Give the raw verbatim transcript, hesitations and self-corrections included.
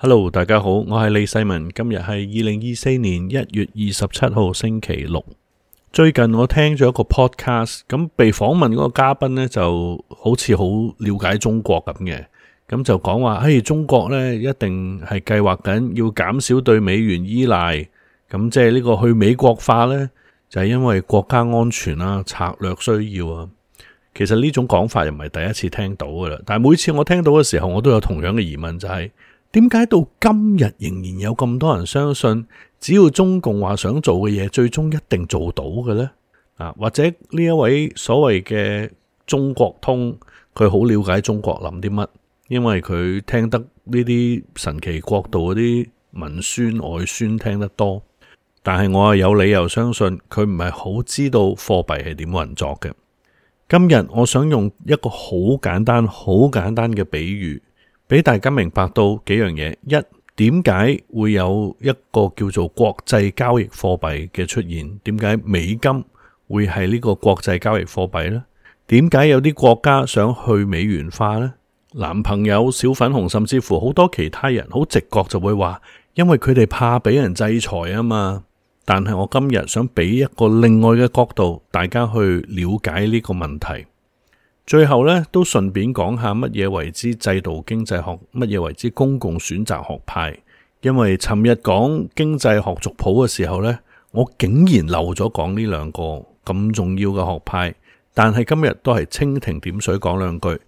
Hello， 大家好，我係李世民。今日係二零二四年一月二十七號星期六。最近我聽咗一個 podcast，咁被訪問嗰個嘉賓呢就好似好了解中國咁嘅，咁就講話，嘿，中國呢一定係計劃緊要減少對美元依賴，咁即係呢個去美國化呢，就係因為國家安全啦、策略需要啊。其實呢種講法又唔係第一次聽到噶啦，但係每次我聽到嘅時候，我都有同樣嘅疑問，就係點解到今日仍然有咁多人相信，只要中共話想做嘅嘢，最終一定做到嘅呢？啊，或者呢一位所謂嘅中國通，佢好了解中國諗啲乜，因為佢聽得呢啲神奇國度嗰啲文宣外宣聽得多，但係我係有理由相信佢唔係好知道貨幣係點運作嘅。今日我想用一個好簡單、好簡單嘅比喻，俾大家明白到幾樣嘢。一，點解會有一個叫做國際交易貨幣嘅出現？點解美金會係呢個國際交易貨幣呢？點解有啲國家想去美元化呢？男朋友、小粉紅，甚至乎好多其他人，好直覺就會話，因為佢哋怕俾人制裁啊嘛。但係我今日想俾一個另外嘅角度，大家去了解呢個問題。最後呢，都順便講下乜嘢為之制度經濟學，乜嘢為之公共選擇學派。因為尋日講經濟學族譜嘅時候呢，我竟然漏咗講呢兩個咁重要嘅學派。但係今日都係蜻蜓點水講兩句，